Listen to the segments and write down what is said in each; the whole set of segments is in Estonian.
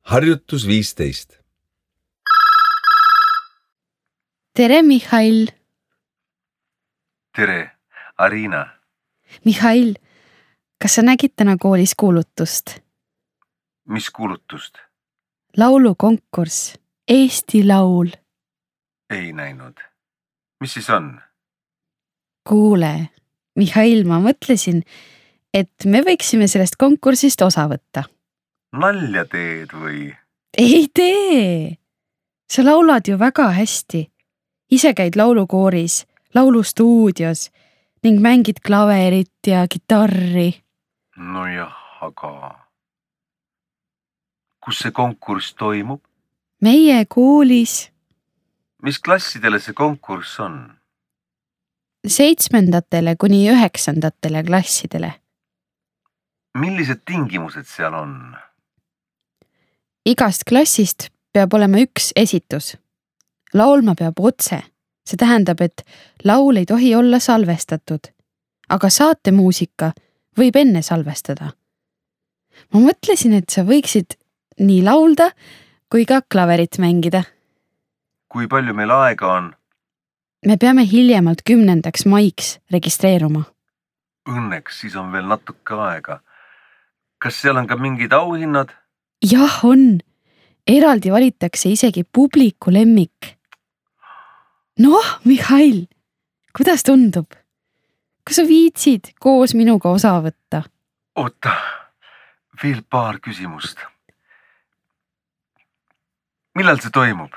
Harjutus 15. Tere, Mihhail! Tere, Arina! Mihhail, kas sa nägid täna koolis kuulutust? Mis kuulutust? Laulukonkurss. Eesti Laul. Ei näinud. Mis siis on? Kuule, Mihhail, ma mõtlesin, et me võiksime sellest konkursist osa võtta. Nalja teed või? Ei tee! Sa laulad ju väga hästi. Ise käid laulukooris, laulustuudios ning mängid klaverit ja kitarri. Nojah, aga... Kus see konkurss toimub? Meie koolis. Mis klassidele see konkurss on? 7. kuni 9. klassidele. Millised tingimused seal on? Igast klassist peab olema üks esitus. Laulma peab otse. See tähendab, et laul ei tohi olla salvestatud. Aga saatemuusika võib enne salvestada. Ma mõtlesin, et sa võiksid nii laulda kui ka klaverit mängida. Kui palju meil aega on? Me peame hiljemalt 10. maiks registreeruma. Õnneks siis on veel natuke aega. Kas seal on ka mingid auhinnad? Jah, on. Eraldi valitakse isegi publiku lemmik. Noh, Mihhail, kuidas tundub? Kas sa viitsid koos minuga osa võtta? Oota, veel paar küsimust. Millal see toimub?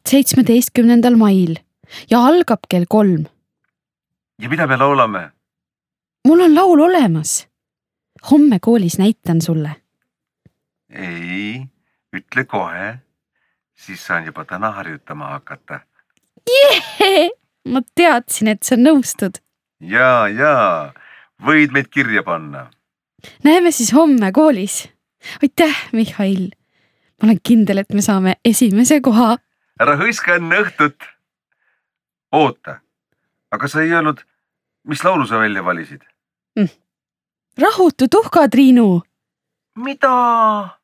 17. mail ja algab kell 3. Ja mida me laulame? Mul on laul olemas. Homme koolis näitan sulle. Ei, ütle kohe. Siis saan juba täna harjutama hakata. Jee! Ma teadsin, et sa nõustud. Jaa. Võid meid kirja panna. Näeme siis homme koolis. Aitäh, Mihhail. Ma olen kindel, et me saame esimese koha. Ära hõiska enne õhtut. Oota, aga sa ei öelnud, mis laulu sa välja valisid? Rahutu tuhka, Triinu. Mida?